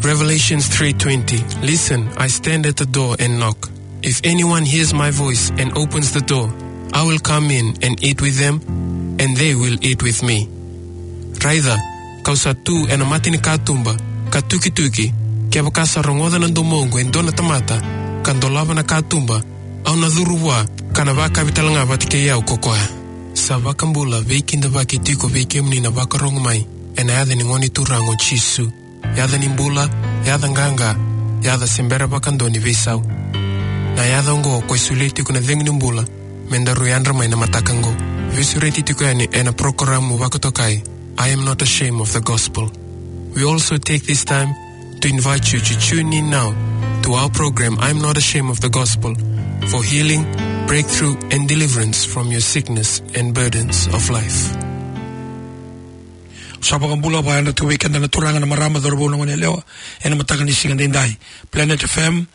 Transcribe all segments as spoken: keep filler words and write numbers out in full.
Revelations three twenty. "Listen, I stand at the door and knock. If anyone hears my voice and opens the door, I will come in and eat with them, and they will eat with me." Raica, ka'u sa tu ena mata ni katuba, ka tukituki, kevaka sa rogoca na domoqu e dua na tamata, ka dolava na katuba, au na curu vua, ka na vakavi talega vata kei au ko koya. Sa vakabula, veikidavaki tiko vei kemuni na vakarogo mai, ena yaca ni Gone Turaga o Jisu. Yaca ni bula, yaca qaqa, yaca se bera vakadua ni veisau. Na yaca oqo ko e solia tiko na cegu ni bula, me daru yadra mai na mataka oqo. Veisureti tiko yani ena porokaramu vakatokai, I Am Not Ashamed of the Gospel. We also take this time to invite you to tune in now to our program, I Am Not Ashamed of the Gospel, for healing, breakthrough, and deliverance from your sickness and burdens of life. Sa vakabula, vakayadra tiko vei keda na turaga, na marama, cauravou, na goneyalewa, ena mataka ni siga daidai. Planet F M,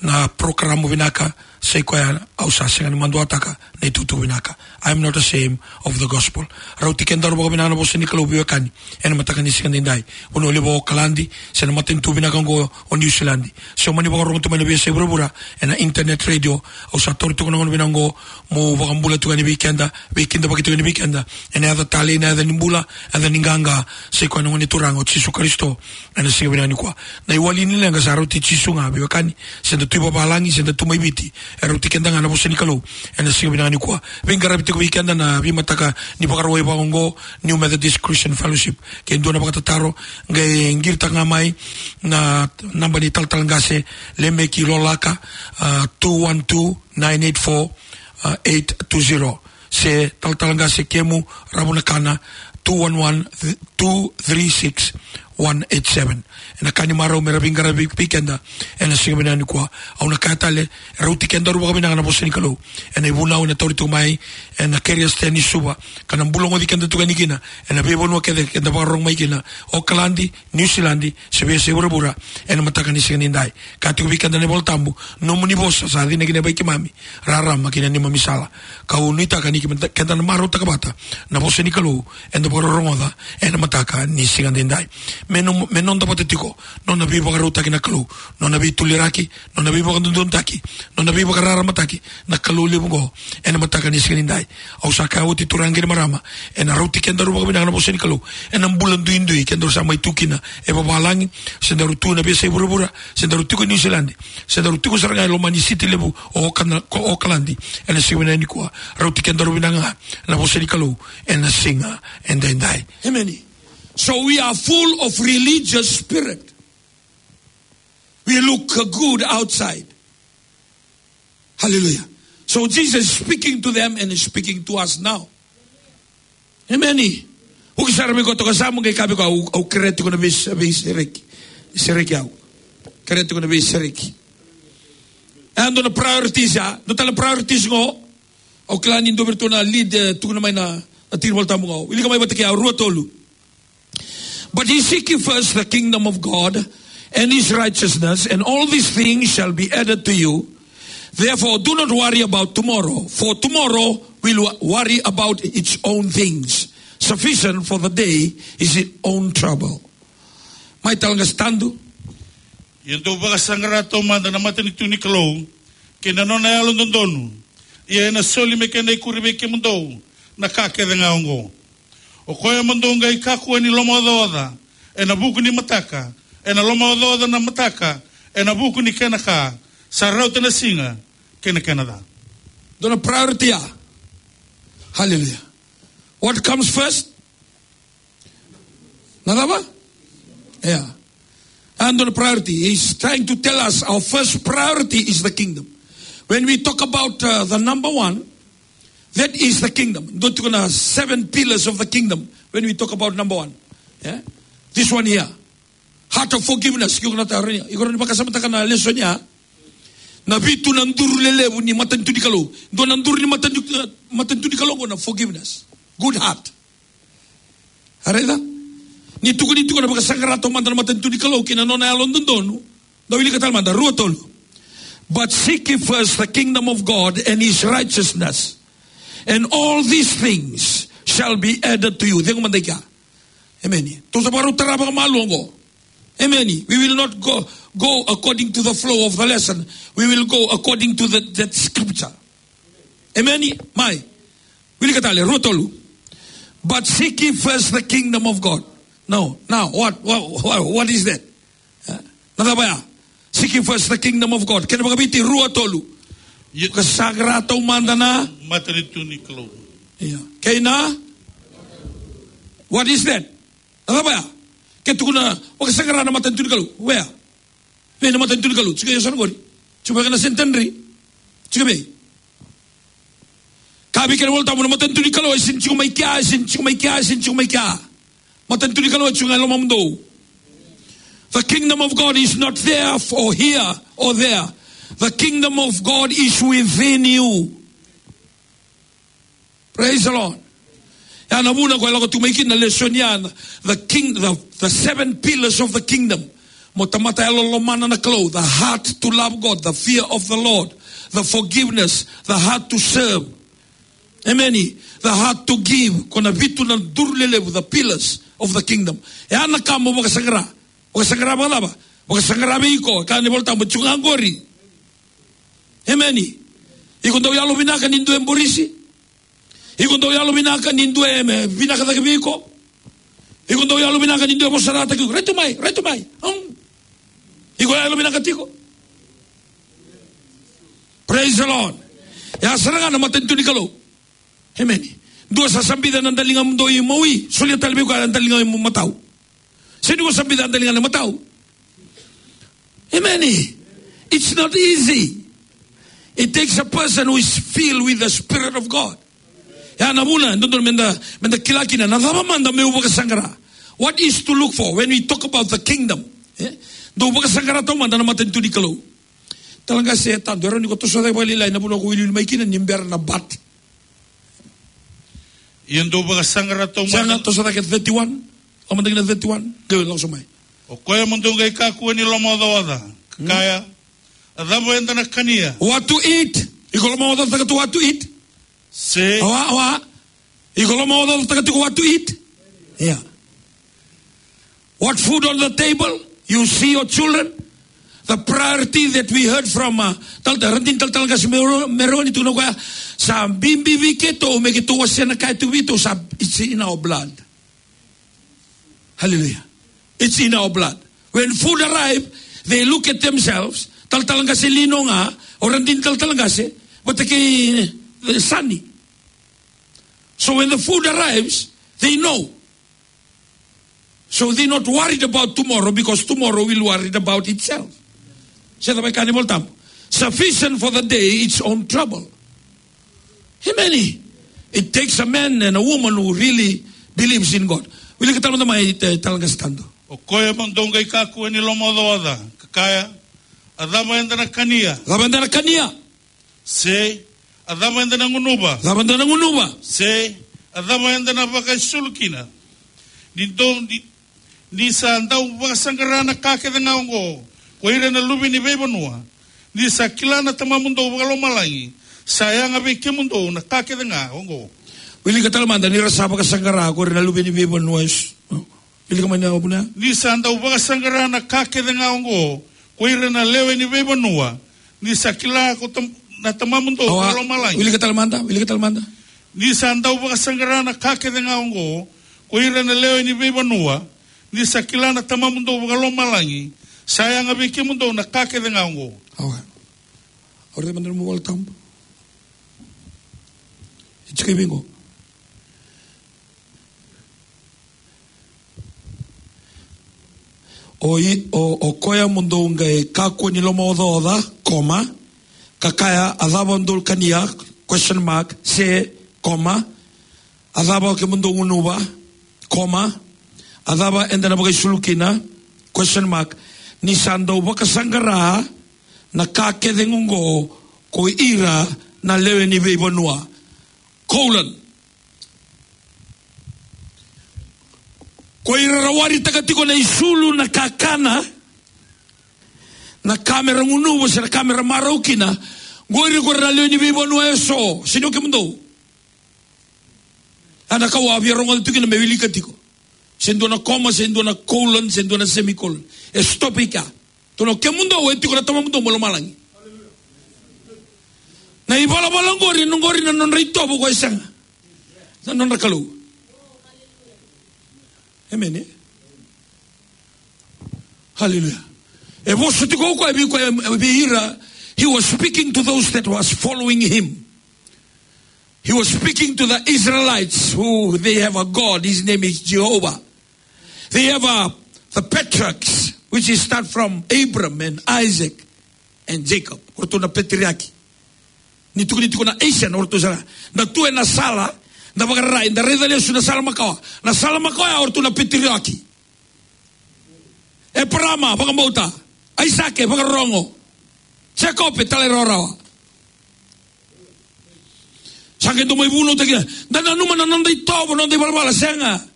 na porokaramu vinaka, sai koya au sa sega ni maduataka na itukutuku vinaka. I am not ashamed of the gospel. Rauti kedaru vakavinaka na vosa ni Kalou, veiwekani, ena mataka ni siga daidai. Vanua levu o Okaladi, se na matanitu vinaka oqo o Niusiladi. Se o mani vakarogo tu mai na veiyasai vuravura, ena internet radio, au sa taura tiko na gauna vinaka oqo, mo vakabula tiko yani vei keda, veikidavaki tiko yani vei keda, ena yaca talei, na yaca ni bula, yaca ni qaqa, sai koya na Gone Turaga o Jisu Karisito, ena siga vinaka nikua. Na iwali ni leqa sa rauti Jisu ga, veiwekani, se da tu i vavalagi, se da tu mai Viti, e rauti keda ga na vosa ni Kalou, ena siga vinaka nikua. Veiqaravi tiko vei keda na veimataka ni Vakarauwai vaka oqo, New Methodist Christian Fellowship. Ke dua na vakatataro, qai qiritaka ga mai na naba ni talatala qase, Lemeki Lolaka, ah, two one two, nine eight four, ah, eight two zero. Se talatala qase Kemu Ravunakana, two one one, two three six, one eight seven. Ena ka ni marau me ra veiqaravi vei keda ena siga vinaka nikua. Au na kaya tale, rauti kedaru vakavinaka na vosa ni Kalou. Ena ivunau ena tauri tu mai ena Keria State ni Suva, ka na bulogoci keda tu yani kina ena veivanua kece keda vakarorogo mai kina, Okaladi, Niusiladi, se veiyasai vuravura, ena mataka ni siga nidai. Ka tiko vei keda na iVolatabu, nomuni vosa sa cina kina vei keimami, rarama kina neimami sala. Kau nuitaka ni keda na marautaka vata na vosa ni Kalou eda vakarorogoca ena mataka ni siga nidai. Me no, me noda vata tiko nona veivakarautaki na Kalou, nona veituliraki, nona veivakadodonutaki, nona veivakararamataki na Kalou levu oqo ena mataka ni siga nidai. Au sa kaya oti, turaga kei na marama, ena rauti kedaru vakavinaka na vosa ni Kalou ena bula duidui kedaru sa mai tu kina e vavalagi, se daru tu na veiyasai vuravura, se daru tiko e Niusiladi, se daru tiko sara ga e loma ni siti levu o Okana-, ko Okaladi, ena siga vinaka nikua. Rauti kedaru vinaka ga na vosa ni Kalou ena siga edaidai. Amen. So we are full of religious spirit. We look good outside. Hallelujah. So Jesus is speaking to them and is speaking to us now. Amen. Uki sara mai ko toka sa mo qai kabi ko au, au kerea tiko na vei, veisereki. Sereki au. Kerea tiko na veisereki. E dua na priorities ya. Dua tale na priorities qo. Au kila ni dua vei iratou na lead, eh, tukuna mai na, na tiki ni Volatabu qo. Wilika mai vata kei au, rua, tolu. But ye seek ye first the kingdom of God and his righteousness, and all these things shall be added to you. Therefore, do not worry about tomorrow, for tomorrow will wo-, worry about its own things. Sufficient for the day is its own trouble. Mai tale ga, se tadu. Ia dou vakasaqara taumada na matanitu ni Kalou, kei na nona yalododonu. Ia ena soli me kena ikuri vei kemudou na ka kece ga oqo. O koya mo dou qai kakua ni lomaocaoca ena vuku ni mataka, ena lomaocaoca na mataka ena vuku ni kena ka, sa rauta na siga kei na kena ca. Dua na priority ya. Hallelujah. What comes first? Na cava? Yeah. And on priority, he's trying to tell us our first priority is the kingdom. When we talk about, uh, the number one, that is the kingdom. Dua tiko na seven pillars of the kingdom when we talk about number one. Yeah? This one here. Heart of forgiveness. Iko na tarogi, iko na vakasamataka na lesson ya. Na vitu na duru lelevu ni matanitu ni Kalou. Dua na duru ni matanitu, matanitu ni Kalou qo na forgiveness. Good heart. A raica? Ni tukuni tiko na vakasaqara taumada na matanitu ni Kalou kei na nona yalododonu. Da wilika tale mada, rua, tolu. But seek ye first the kingdom of God and his righteousness, and all these things shall be added to you. Cegu mada i kea. Amen. Tou sa vakarau tara vakamalua oqo. Amen. We will not go, go according to the flow of the lesson. We will go according to the, that scripture. Amen. Mai. Wilika tale, rua tolu. But seek ye first the kingdom of God. No, now, what, what, what, what is that? Eh? Na cava ya? Seek ye first the kingdom of God. Kena vakaviti, rua tolu. Ia. Vakasaqara taumada na matanitu ni Kalou. Ia. Kei na? What is that? Na cava ya? Ke tukuna, vakasaqara na matanitu ni Kalou. Where? Vei na matanitu ni Kalou? Tiko e yasana qori. Tiko vei na Centenary. Tiko vei. Ka vei kena iVolatabu na matanitu ni Kalou, e sega ni tiko mai kea, e sega ni tiko mai kea, e sega ni tiko mai kea. Matanitu ni Kalou e tiko ga e lomamudou. The kingdom of God is not there or here or there. The kingdom of God is within you. Praise the Lord. Ya na vuna ko e lako tu mai kina na lesoni ya, the king, the, the seven pillars of the kingdom. Mo tamata yalolomana na Kalou, the heart to love God, the fear of the Lord, the forgiveness, the heart to serve. Amen. The heart to give. Ko na vitu na duru lelevu, the pillars of the kingdom. Ya na ka mo vakasaqara. Vakasaqara vakacava? Vakasaqara vei iko, kaya na iVolatabu, tiko ga qori. Amen. Iko dau yalovinaka ni dua e borisi. Iko dau yalovinaka ni dua e, me, vinaka cake vei iko. Iko dau yalovinaka ni dua e vosa rawa cake vei iko. Rai tu mai, rai tu mai. Hum. Iko yalovinaka tiko. Praise the Lord. Ya sara ga na matanitu ni Kalou. Amen. Dua sa sabica na daliga mo dou imawi, solia tale vei koya na daliga mo matau. Se ni ko sabica na daliga na matau. Amen. It's not easy. It takes a person who is filled with the Spirit of God. Ya na vuna, dodonu meda, meda kila kina, na cava mada meu vakasaqara. What is to look for when we talk about the kingdom? Eh? Dou vakasaqara taumada na matanitu ni Kalou. Talatala qase, e tadu, e rawa ni ko toso cake vakalailai na vanua ko wiliwili mai kina ni bera na bat. Ia dou vakasaqara taumada. Sega, toso cake thirty-one. Lako mada kina thirty-one. Qai lako so mai. O koya mo dou qai kakua ni lomaocaoca. Ka kaya, a cava eda na kania? What to eat? Iko lomaocaocataka tu what to eat? Se. Awa, awa. Iko lomaocaocataka tiko what to eat? Yeah. What food on the table? You see your children? The priority that we heard from, uh, tal-, radini talatala qase Mero-, Meroni, tukuna o koya, sa bibi vei keitou me keitou wasea na ka e tu vei keitou, sa, it's in our blood. Hallelujah. It's in our blood. When food arrive, they look at themselves, talatala qase Lino ga, o radini talatala qase, vata kei, eh, Sani. So when the food arrives, they know. So they're not worried about tomorrow because tomorrow will worry about itself. Se cava e kaya na iVolatabu? Sufficient for the day its own trouble. Amen. It takes a man and a woman who really believes in God. Wilika tale mada mai, e, talatala qase Tadu. O koya mo dou qai kakua ni lomaocaoca, ka kaya, a cava eda na kania? Cava eda na kania? Se, a cava eda na gunuva? Cava eda na gunuva? Se, a cava eda na vakaisulu kina? Ni dou, ni, ni sa dau vakasaqara na ka kece ga oqo ko ira na luve ni veivanua, ni sa kila na Tamamudou vakalomalagi sa yaga vei kemudou na ka kece ga oqo. Wilika tale mada, ni ra sa vakasaqara ko ira na luve ni veivanua, eso. Wilika mai na vuna. Ni sa dau vakasaqara na ka kece ga oqo ko ira na lewe ni veivanua, ni sa kila ko tam-, na Tamamudou vakalomalagi. Wilika tale mada, wilika tale mada. Ni sa dau vakasaqara na ka kece ga oqo ko ira na lewe ni veivanua, ni sa kila na Tamamudou vakalomalagi sa yaga vei kemudou na ka kece ga oqo. Awa. Au raica mada na nomu iVolatabu. E tiko i vei qo. O i, o, o koya mo dou qai kakua ni lomaocaoca, koma, ka kaya, a cava dou kania, question mark, se, koma, a cava kemudou gunuva, koma, a cava eda na vakaisulu kina, question mark, ni sa dau vakasaqara na ka kece oqo ko ira na lewe ni veivanua. Colon. Ko ira ra waritaka tiko na isulu, na kakana, na ka me ra gunuva se na ka me ra marau kina, qori ko ira na lewe ni veivanua eso, sega ni o kemudou. A na ka au a via rogoca tiko kina me wilika tiko. Se dua na comma, se dua na colon, se dua na semicolon. E stop i kea. Tukuna o kemudou e tiko na Tamamudou mai lomalagi. Na ivalavala qori, na qori na nodra itovo, o koya e sega. Na nodra Kalou. Amen, e? Hallelujah. E vosa tiko o koya vei koya, vei ira, he was speaking to those that was following him. He was speaking to the Israelites who they have a God. His name is Jehovah. They have a, the patriarchs, which is start from Abram and Isaac and Jacob. O ratou na patriarch. Ni tukuni tiko na Asian, o ratou sara. Na tu ena sala, na vakararai, na raica lesu na sala makawa. Na sala makawa ya o ratou na patriarch. Eparama, vakabauta. Aisake, vakarorogo. Jekope, talairawarawa. Sa qai dau mai vunautaki. Da nanuma na noda itovo, noda ivalavala, sega.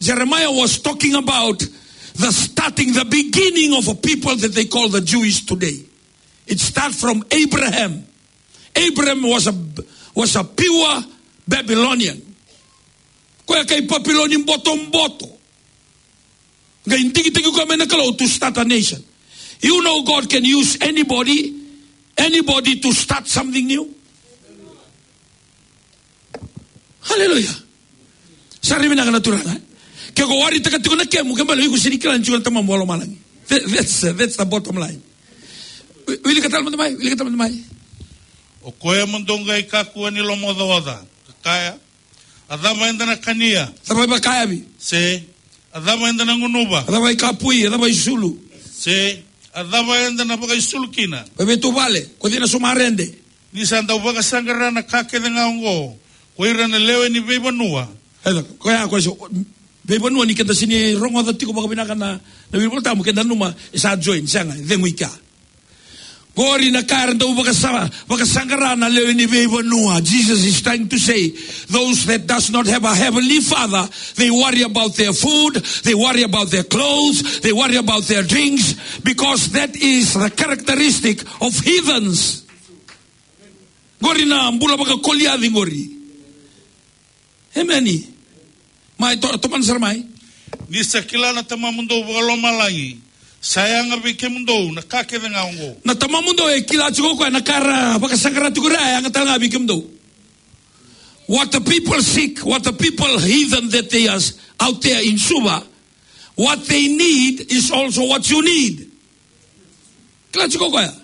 Jeremiah was talking about the starting, the beginning of a people that they call the Jewish today. It starts from Abraham. Abraham was a, was a pure Babylonian. Koya kai Papiloni botoboto. Qai digitaki koya mai na Kalou to start a nation. You know God can use anybody, anybody to start something new. Hallelujah. Sa rui vinaka na Turaga, e? Ke ko waritaka tiko na kemu, ke bale o iko sega ni kila ni tiko na Tamamu mai lomalagi. That, that's, uh, that's the bottom line. Wi-, wilika tale mada mai, wilika tale mada mai. O koya mo dou qai kakua ni lomaocaoca, ka kaya, a cava eda na kania? A cava e vakayakavi? Se a cava eda na gunuva? A cava e kapui? A cava e sulu? Se a cava eda na vakaisulu kina? Vaiveituvale, ko cei na sumarede? Ni sa dau vakasaqara na ka kece ga oqo ko ira na lewe ni veivanua. Eda, koya, koya so, veivanua ni keda sega ni rogoca tiko vakavinaka na, na wili Volatabu, keda nanuma e sa join, sega, e cegu i kea. Qori na ka era dau vakasa-, vakasaqara na lewe ni veivanua. Jesus is trying to say, those that does not have a heavenly Father, they worry about their food, they worry about their clothes, they worry about their drinks, because that is the characteristic of heathens. Qori na bula vakakoliaci qori. Emeni. Mai to-, tomana sara mai. Ni sa kila na Tamamudou vakalomalagi sa yaga vei kemudou na ka kece ga oqo. Na Tamamudou e kila tiko o koya na ka ra vakasaqara tiko ra, e yaga tale ga vei kemudou. What the people seek, what the people heathen that they are out there in Suva, what they need is also what you need. Kila tiko o koya.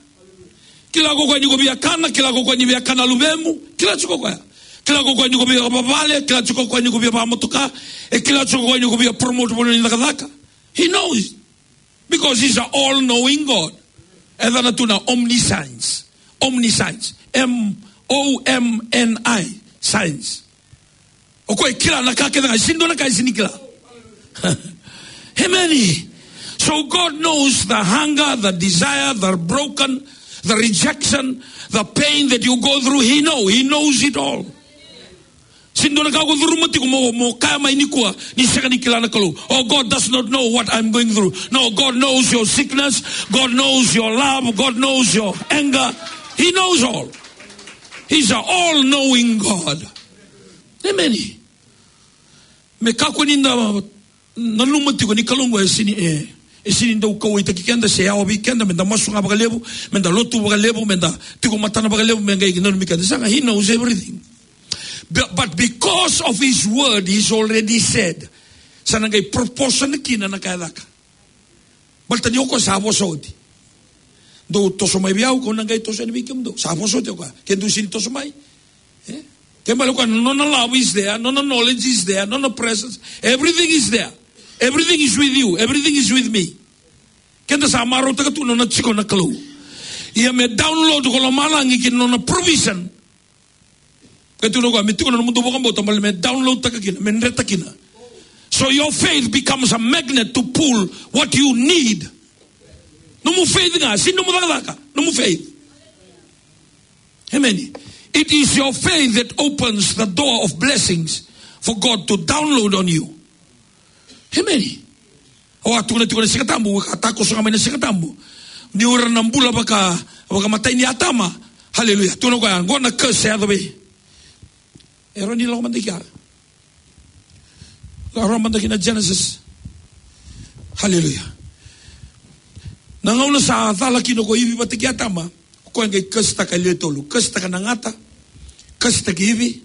Kila tiko o koya ni ko via kana, kila tiko o koya ni via kana luvemu, kila tiko o koya. Kila tiko o koya ni ko via vavale, kila tiko o koya ni ko via vamotoka, e kila tiko o koya ni ko via promote vanua ni cakacaka. He knows. Because he's an all-knowing God. E yacana tu na omniscience. Omniscience. M O M N I. Science. O koya e kila na ka kece ga, e sega ni dua na ka e sega ni kila. Amen. So God knows the hunger, the desire, the broken, the rejection, the pain that you go through. He know, he knows it all. Sega ni dua na ka ko curuma tiko mo, mo kaya mai nikua ni sega ni kila na Kalou. Oh, God does not know what I'm going through. No, God knows your sickness. God knows your love. God knows your anger. He knows all. He's an all-knowing God. Amen. Me kakua ni da nanuma tiko ni Kalou oqo e sega ni, e, e sega ni dau kauwaitaki keda se yawa vei keda me da masu ga vakalevu, me da lotu vakalevu, me da tiko matana vakalevu, me qai nanumi keda. Sega, he knows everything. But, but because of his word, he's already said. Sa na qai proportion kina na ka e caka. Baleta ni o koya sa vosa oti. Dou toso mai vei au, kau na qai toso yani vei kemudou. Sa vosa oti o koya. Ke dou sega ni toso mai. E? Ke bale o koya, nona love is there, nona knowledge is there, nona presence. Everything is there. Everything is with you. Everything is with me. Keda sa marautaka tu nona tiko na Kalou. Ia me download ko lomalagi kina nona provision. Ka tukuna o koya, me tiko na nomudou vakabauta, baleta me download taka kina, me dreta kina. So your faith becomes a magnet to pull what you need. Nomu faith ga, sega ni nomu cakacaka, nomu faith. Amen. It is your faith that opens the door of blessings for God to download on you. Amen. Au a tukuna tiko na Siga Tabu, ka takoso ga mai na Siga Tabu. Ni o ira na bula vaka, vakamatai ni Atama. Hallelujah. Tukuna o koya, qo na curse e yaco vei. E rawa ni lako mada i kea. Rau mada kina Genesis. Haleluya. Na gauna sa cala kina ko Ivi vata kei Atama, o koya qai kasitaka e lewe tolu. Kasitaka na gata, kasitaka Ivi.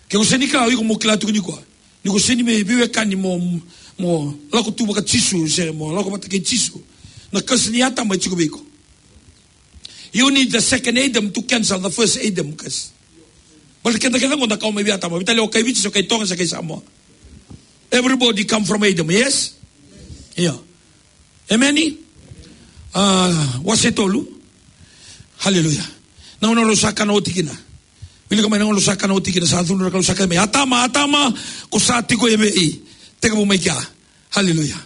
Ke ko sega ni kila, o iko mo kila tiko nikua. Ni ko sega ni mai veiwekani mo, mo lako tu vaka Jisu, se mo lako vata kei Jisu. Na kasi ni Atama e tiko vei iko. You need the second Adam to cancel the first Adam curse. Baleta keda kece qo da kawa mai vei Atama. Veitalia o kai Viti, se o kai Toga, se kai Samoa. Everybody come from Adam, yes? Io. Emeni? Ah, wase tolu. Haleluya. Na gauna rau sa kana oti kina. Wilika mai, na gauna rau sa kana oti kina, sa cudru na Kalou, sa kaya mai, "Atama, Atama, ko sa tiko evei? Tekivu mai kea." Haleluya.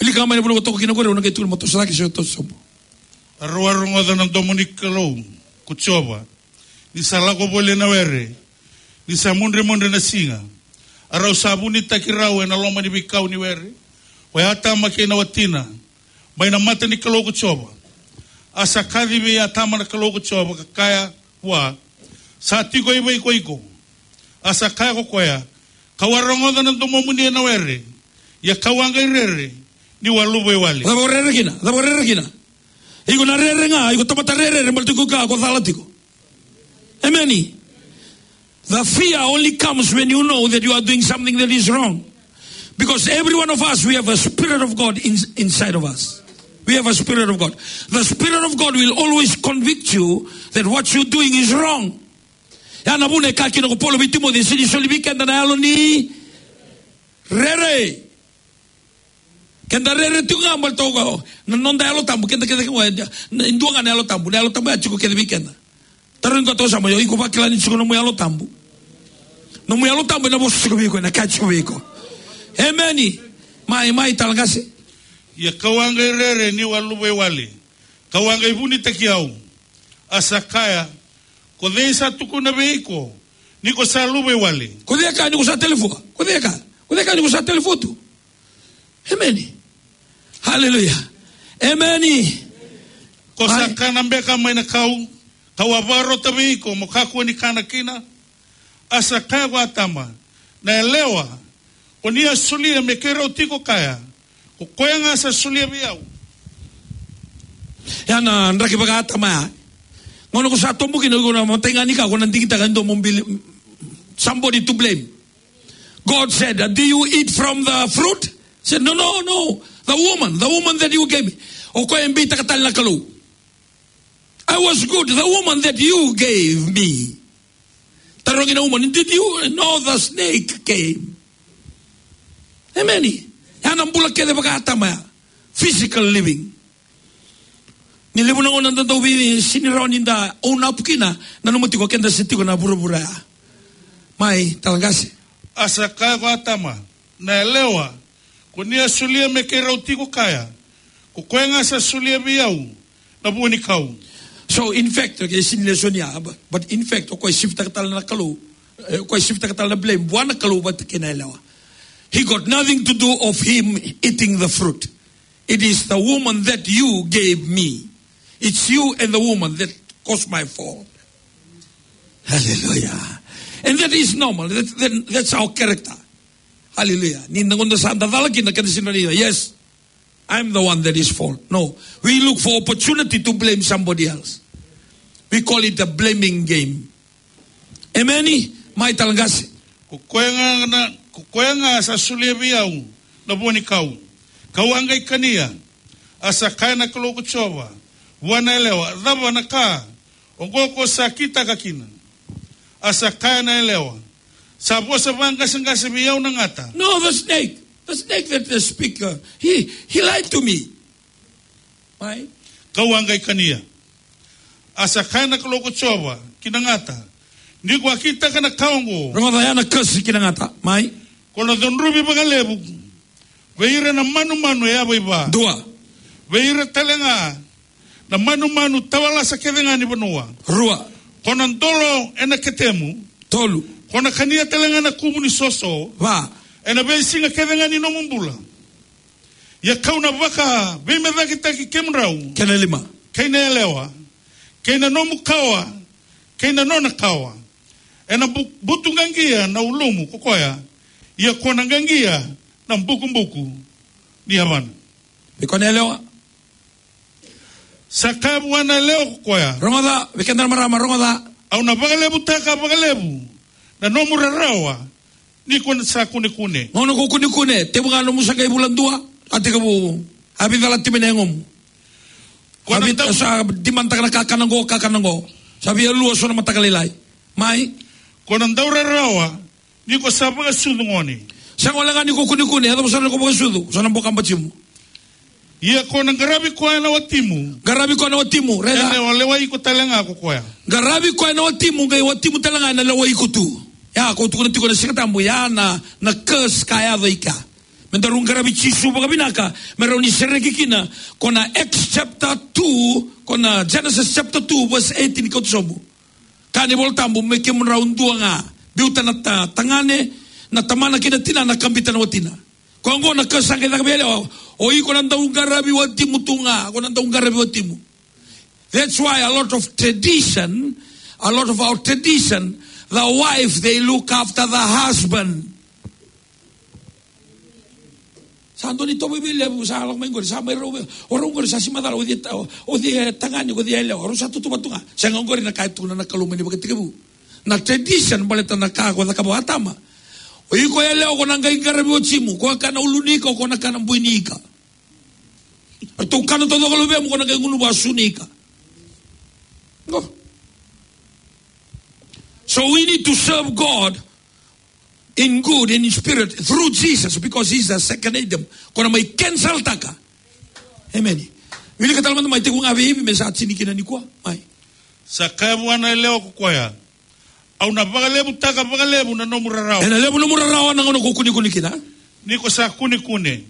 Wilika mai na vanua ko toka kina qori, au na qai tukuna mo toso cake se toso sobu. A rau a rogoca na domo ni Kalou ko Jiova, ni sa lako voli ena were, ni sa mudremudre na siga. A rau sa vunitaki rau ena loma ni veikau ni were, o Atama kei na watina, mai na mata ni Kalou ko Jiova. A sa kaci vei Atama na Kalou ko Jiova ka kaya vua, "Sa tiko i vei ko iko?" A sa kaya ko koya, "Kau a rogoca na domomuni ena were, ia kau a qai rere, niu a luvawale." Cava o rere kina? Cava o rere kina? Iko na rere ga, iko tamata rerere, baleta iko kila ko cala tiko. Emeni. The fear only comes when you know that you are doing something that is wrong. Because every one of us, we have a spirit of God in, inside of us. We have a spirit of God. The spirit of God will always convict you that what you're doing is wrong. Ya na vuna e kaya kina ko Paula vei Timoci, e sega ni soli vei keda na yalo ni rere. Keda rere tiko ga baleta o koya, na noda Yalo Tabu, keda kece ga, e dua ga na Yalo Tabu, na Yalo Tabu ya tiko kece vei keda. Tarogi koya toka, sa mai, o iko vakila ni tiko nomu Yalo Tabu. Nomu Yalo Tabu ena vosa tiko vei iko, ena kaya tiko vei iko. Emeni. Mai, mai tale qase. Ia kau a qai rere niu a luvawale. Kau a qai vunitaki au. A sa kaya, ko cei sa tukuna vei iko ni ko sa luvawale? Ko cei e kaya ni ko sa talifua? Ko cei e kaya? Ko cei e kaya ni ko sa talifua tu? Emeni. Haleluya. Emeni. Ko sa kana beka mai na kau, kau a vakarota vei iko mo kakua ni kana kina? A sa kaya ko Atama, na yalewa ko ni a solia me keirau tiko kaya, ko koya ga sa solia vei au. Ya na draki vaka-Atama ya. Gauna ko sa tobo kina, ko na matai ga ni ka ko na digitaka e dua mo bili, somebody to blame. God said, "Do you eat from the fruit?" Said, "No, no, no. The woman, the woman that you gave me." O koya e beitaka tale na Kalou. "I was good, the woman that you gave me." Tarogi na woman, "Did you?" "No, the snake came." Emeni. Ya na bula kece vaka-Atama ya. Physical living. Ni levu na gauna da dau vei, sega ni rawa ni da own up kina, nanuma tiko keda se tiko na vuravura ya. Mai tale qase. A sa kaya ko Atama, na yalewa ko ni a solia me keirau tiko kaya, ko koya ga sa solia vei au na vua ni kau. So in fact, okay, sega ni lesoni ya, but, but in fact, o koya e shiftaka tale na Kalou, eh, o koya e shiftaka tale na blame vua na Kalou vata kei na yalewa. He got nothing to do of him eating the fruit. It is the woman that you gave me. It's you and the woman that caused my fall. Hallelujah. And that is normal. That, that, that's our character. Hallelujah. Ni na gauna sa da cala kina, keda sega ni, yes, I'm the one that is fault. No. We look for opportunity to blame somebody else. We call it a blaming game. Emeni. Mai tale qase. Ko koya ga na, ko koya ga sa solia vei au na vua ni kau, kau a qai kania. A sa kaya na Kalou ko Jiova vua na yalewa, cava na ka oqo ko sa kitaka kina? A sa kaya na yalewa, sa vosa vaqaseqase vei au na gata. No, the snake. The snake that the speaker, he, he lied to me. Mai. Kau a qai kania. A sa kaya na Kalou ko Jiova ki na gata, ni ko a kitaka na ka oqo. Rogoca ya na kasi ki na gata. Mai. Ko na cudruvi vakalevu vei ira na manumanu e yavaiva. Dua. Vei ira tale ga na manumanu tawalasa kece ga ni vanua. Rua. Ko na dolo ena ketemu. Tolu. Ko na kania tale ga na kuvu ni soso. Va. Ena veisiga kece ga ni nomu bula. Ia kau na vakaveimecakitaki kemudrau. Kena lima. Kei na yalewa, kei na nomu kawa, kei na nona kawa. Ena bu-, butuqaqia na ulumu ko koya, ia ko na qaqia na bukubuku ni yavana. Vei koya na yalewa. Sa kaya vua na yalewa ko koya. Rogoca, vei keda na marama, rogoca. Au na vakalevutaka vakalevu na nomu rarawa, ni ko sa kunekune. Gauna ko kunekune, tevu ga nomu sa qai vula dua, a tekivu, a vei cala timi na yagomu. Ko na a vei dau- sa dimanataka na kakana qo, kakana qo. Sa via lua so na mataka lailai. Mai. Ko na dau rarawa, ni ko sa vakasucu gone. Sa gole ga ni ko kunekune, e cava sa na ko vakasucu, sa na boka batimu. Ia ko na qaravi koya na watimu. Qaravi koya na watimu, raica. Ena lewai iko tale ga ko koya. Qaravi koya na watimu, qai watimu tale ga ena lewai iko tu. Ia, ko tukuna tiko na Siga Tabu, ia na, na curse ka yaco i kea. Me daru qaravi Jisu vakavinaka, me rau ni sereki kina, ko na Acts chapter two, ko na Genesis chapter two, verse eighteen, kauta sobu. Kaya na iVola Tabu, me kemudrau dua ga. Biuta na ta-, tagane, na tamana kei na tinana, kabita na watina. Ko oqo na ka sa qai caka vei yalewa, o iko na dau qaravi watimu tu ga, ko na dau qaravi watimu. That's why a lot of tradition, a lot of our tradition, the wife, they look after the husband. Sa dua ni tovo vei levu, sa lako mai qori, sa mai rau vei, o rau qori sa sega ni macala, o cei ta-, o cei tagane, o cei yalewa, o rau sa tutuva tu ga. Sega, qori na ka e tukuna na Kalou mai na ivakatekivu. Na tradition, baleta na ka ko cakava o Atama. O iko yalewa, ko na qai qaravi watimu, ko kana ulu ni ika, ko na kana bui ni ika. Ratou kana taucoko luvemu, ko na qai gunu vasu ni ika. Qo. So we need to serve God in good, in spirit, through Jesus, because he's the second Adam. Ko na mai cancel taka. Amen. Wilika tale mada mai, tekivu ga vei Ivi me sa tini kina nikua. Mai. Sa kaya vua na yalewa ko koya, au na vakalevutaka vakalevu na nomu rarawa. Ena levu nomu rarawa na gauna ko kunekune kina. Ni ko sa kunekune.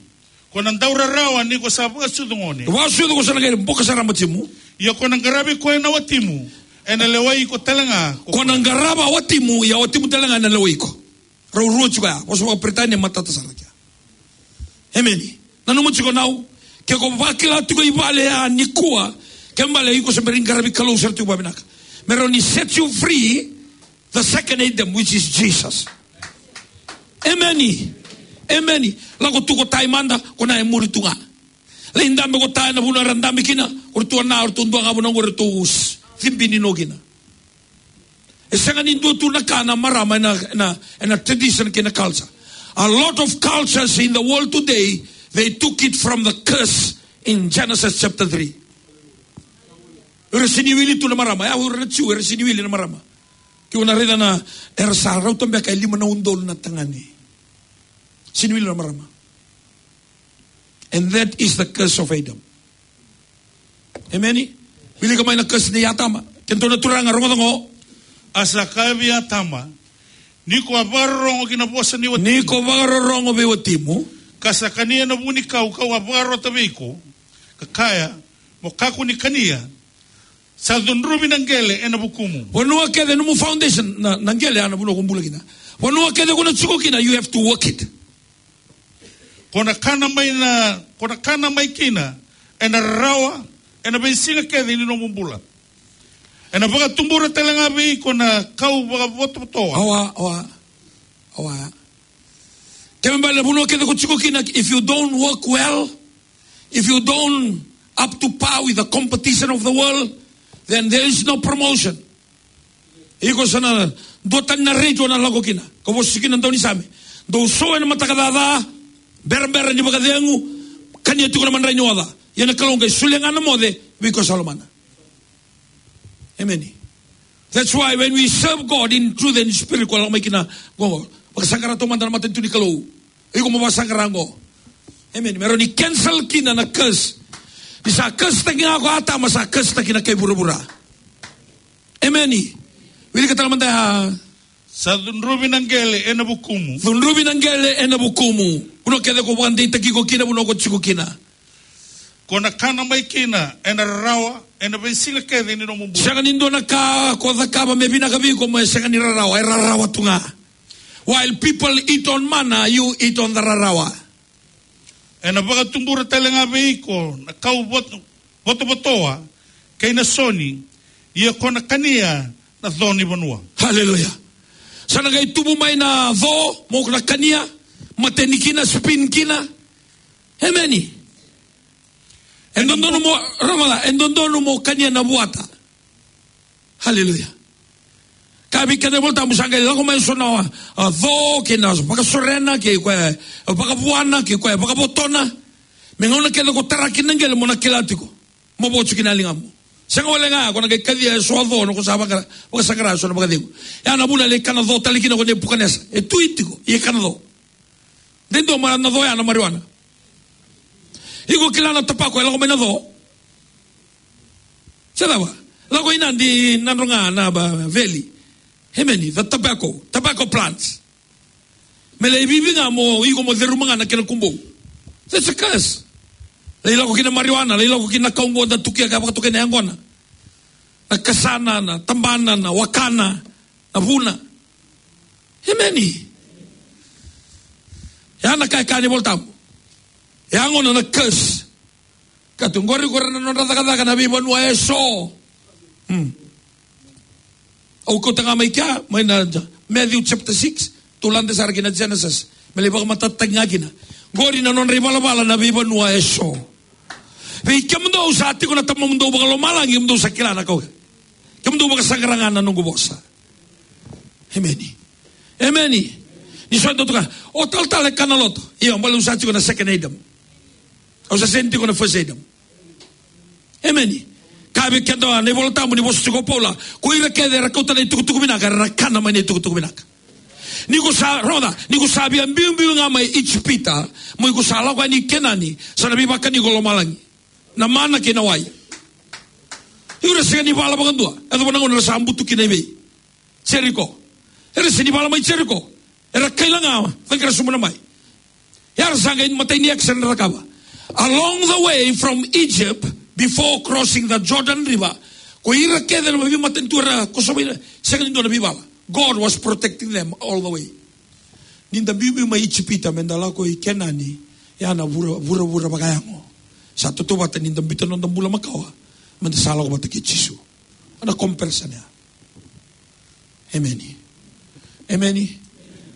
Ko na dau rarawa ni ko sa vakasucu gone. Vakasucu ko sa na qai boka sara batimu. Ia ko na qaravi koya na watimu, ena lewai iko tale ga ko koya. Ko na qarava watimu, ia watimu tale ga ena lewai iko. Rau rua tiko ya, vosa vakaperitania matata sara kea. Emeni. Nanuma tiko nau, ke ko vakila tiko i vale ya nikua, ke bale iko se bera ni qaravi Kalou sara tiko vavinaka. Me rau ni set you free, the second Adam, which is Jesus. Emeni. Emeni. Lako tu ko tai mada, ko na e muri tu ga. Lai dabe ko tai na vuna era dabe kina, ko ratou na, ko ratou dua ga vuna ko ratou s-, cibi ni no kina. E sega ni dua tu na ka na marama ena, ena, ena tradition kei na culture. A lot of cultures in the world today, they took it from the curse in Genesis chapter three. Era sega ni wili tu na marama, ya, era Jiu, era sega ni wili na marama. Keu na raica na, era sa rauta beka e lima na udolu na tagane. Sega ni wili na marama. And that is the curse of Adam. Emeni. Wilika mai na curse nei Atama. Kedatou na turaga, rogoca qo. A sa kaya vei Atama, ni ko a vakarorogo ki na vosa ni watimu. Ni ko vakarorogo vei watimu. Ka sa kania na vunikau kau a vakarota vei iko. Ka kaya, mo kakua ni kania. Sa cudruvi na qele ena vukumu. Vanua kece nomu foundation, na, na qele ya na vanua ko bula kina. Vanua kece ko na tiko kina, you have to work it. Ko na kana mai na, ko na kana mai kina, ena rarawa, ena veisiga kece ni nomu bula. Ena vakatubura tale ga vei iko na kau vakavotovotoa. Awa, awa, awa. Kena ibalebale na vanua kece ko tiko kina, if you don't work well, if you don't up to par with the competition of the world, then there is no promotion. Iko sa na duatani na rate o na lako kina. Ka vosa kina na daunisame. Dou sou ena mataka caca, berabera ni vakacegu, kania tiko na madrai ni oca. Ia na Kalou qai solia ga na moce vei iko sa lomana. Emeni. That's why when we serve God in truth and spirit, ko lako mai kina qo, vakasaqara taumada na matanitu ni Kalou. Iko mo vakasaqara qo. Emeni. Me rawa ni cancel kina na curse. Ni sa curse taki ga ko Atama, sa curse taki na kai vuravura. Emeni. Wilika tale mada ya. Sa cudruvi na qele ena vukumu. Cudruvi na qele ena vukumu. Vanua kece ko vakadeitaki iko kina, vanua ko tiko kina. Ko na kana mai kina ena rarawa, ena veisiga kece ni nomu bula. Sega ni dua na ka ko cakava me vinaka vei iko me sega ni rarawa, e rarawa tu ga. While people eat on manna, you eat on the rarawa. Ena vakatubura tale ga vei iko na kau vot-, votovotoa kei na soni, ia ko na kania na co ni vanua. Hallelujah. Sa na qai tubu mai na co, mo na kania, mateni kina, spin kina. Emeni. E dodonu mo, rava la, e dodonu mo kania na vuata. Haleluya. Ka vei keda na iVolatabu sa qai lako mai so na, a, co, kei na vakasorena, kei koya e vakavuana, kei koya e vakavotona. Me gauna kece ko tara kina na qele mo na kila tiko. Mo vocu kina na ligamu. Sega wale ga ko na qai kacia e so a co, na ko sa vaka, vakasaqara e so na vakacegu. Ya na vuna lai kana co tale kina ko Nepukanesa. E tui tiko, ia kana co. De dua mada na co ya na marijuana. Iko kila na tapako e lako mai na co. Se cava? Lako i Nadi, Nadroga, na ba, valley. Emeni, the tobacco, tobacco plants. Me lai vivi ga mo, iko mo ceruma ga na kena kubou. That's a curse. Lai lako kina marijuana, lai lako kina kau qo da tukia ka vakatokai na yaqona. Na kasana, na tabana, na wakana, na vuna. Emeni. Ya na ka e kaya na iVolatabu. Ya gona na curse. Ka tu qori, qori na nodra cakacaka na veivanua eso. Hmm. Au kauta ga mai kea, mai na Ja-, Matthew chapter six, tou lade sara ki na Genesis. Me lai vakamatatataki ga kina. Qori na nodra ivalavala na veivanua eso. Vei kemudou sa tiko na Tamamudou vakalomalagi, kemudou sa kila na ka oqo. Kemudou vakasaqara ga na noqu vosa. Emeni. Emeni. Ni so e dau tukuna, o talatala e kana loto. Io, baleta au sa tiko na second Adam. Au sa sega ni tiko na first Adam. Emeni. Ka vei keda na iVolatabu ni vosa tiko o Paula, ko ira kece era kauta na itukutuku vinaka, era kana mai na itukutuku vinaka. Ni ko sa, rogoca, ni ko sa via biubiu ga mai Ijipita, mo iko sa lako yani i Kenani, sa na veivakani iko lomalagi. Na mana kei na wai. Ira sega ni vala vakadua, e cava na gauna era sa butu kina i vei? Jeriko. Era sega ni vala mai Jeriko. Era kaila ga, caqara sobu na mai. Era sa qai matai ni X era cakava. Along the way from Egypt, before crossing the Jordan River, ko ira kece na veimatanitu era kosova ira, sega ni dua na veivala. God was protecting them all the way. Ni da biubiu mai Ijipita, me da lako i Kenani, ya na vura, vuravura vakayago. Sa tautauvata ni da biuta noda bula makawa, me da sa lako vata kei Jisu. Na comparison ya. Emeni. Emeni.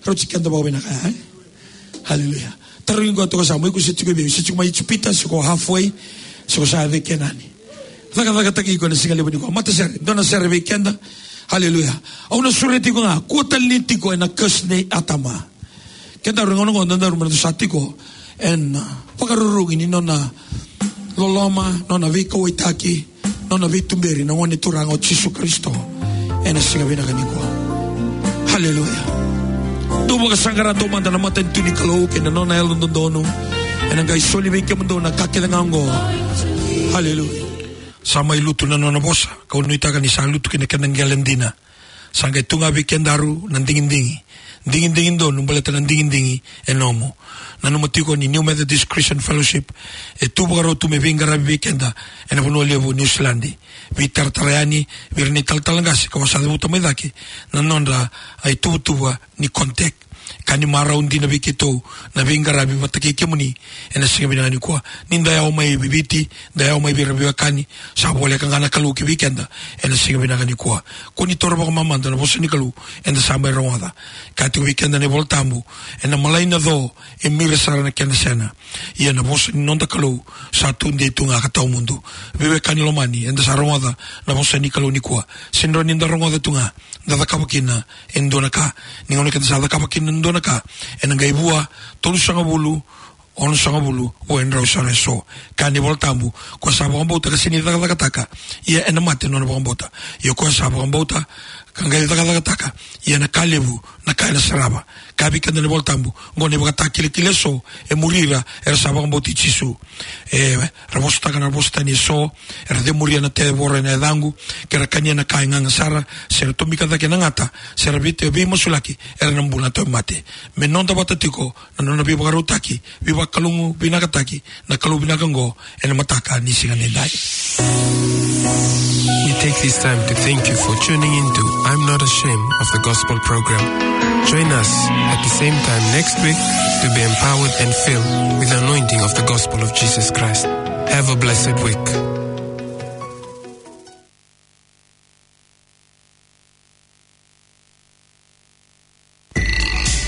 Rauti keda vakavinaka ya, e? Haleluya. Tarogi qo toka sa, mo iko se tiko i vei, se tiko mai Ijipita, se ko halfway, se ko sa yaco i Kenani. Cakacakataki iko ena siga levu nikua. Matasere, dua na sere vei keda. Haleluya. Au na sureti iko ga, kua tale ni tiko ena curse nei Atama. Kedaru gauna qo, daru mada sa tiko ena, ah, vakarurugi ni nona loloma, nona veikauwaitaki, nona veituberi na Gone Turaga o Jisu Karisito ena siga vinaka nikua. Haleluya. Dou vakasaqara taumada na matanitu ni Kalou kei na nona yalododonu. Ena qai soli vei kemudou na ka kece ga oqo. Haleluya. Sa mai lutu na nona vosa, kau nuitaka ni sa lutu ki na kena qele dina. Sa qai tu ga vei kedaru na digidigi. Digidigi donu baleta na digidigi e nomu. Nanuma tiko ni New Methodist Christian Fellowship e tu vakarau tu me veiqaravi vei keda ena vanua levu New Zealand. Veitaratara yani vei ira na italatala qase ka sa cavuta mai cake na nodra ituvatuva ni contact. Ka ni marau dina vei keitou na veiqaravi vata kei kemuni ena siga vinaka nikua. Ni da yawa mai Viti, da yawa mai vei ira veiwekani, sa voleka ga na Kalou ki vei keda ena siga vinaka nikua. Ko ni taura vakamamada na vosa ni Kalou eda sa mai rogoca. Ka tiko vei keda na iVolatabu, ena malai na co e mira sara na kena sena. Ia na vosa ni noda Kalou sa tudei tu ga ka tawamudu. Veiwekani lomani, eda sa rogoca na vosa ni Kalou nikua. Sega ni da rogoca tu ga, da cakava kina e dua na ka. Ni gauna keda sa cakava kina e dua na ka, ena qai vua tolusagavulu, onosagavulu, vua e drau sara eso. Ka ni Volatabu, ko sa vakabauta ka sega ni cakacakataka, ia ena mate nona vakabauta. Ia ko sa vakabauta ka qai cakacakataka, ia na ka levu na ka ena sarava. Ka vei keda na iVolatabu, qo na ivakatakilakila eso e muri ira era sa vakabauti Jisu. E, ra vosataka na vosa tani eso, era cemuria na tevoro ena yacaqu, ke ra kania na ka e gaga sara, se ra tomika cake na gata, se ra vei, veimasulaki, era na bula na tauvimate. Me noda vata tiko na nona veivakarautaki, veivakalougatataki na Kalou vinaka oqo ena mataka ni siga nidai. We take this time to thank you for tuning in to I'm Not Ashamed of the Gospel program. Join us at the same time next week to be empowered and filled with the anointing of the gospel of Jesus Christ. Have a blessed week.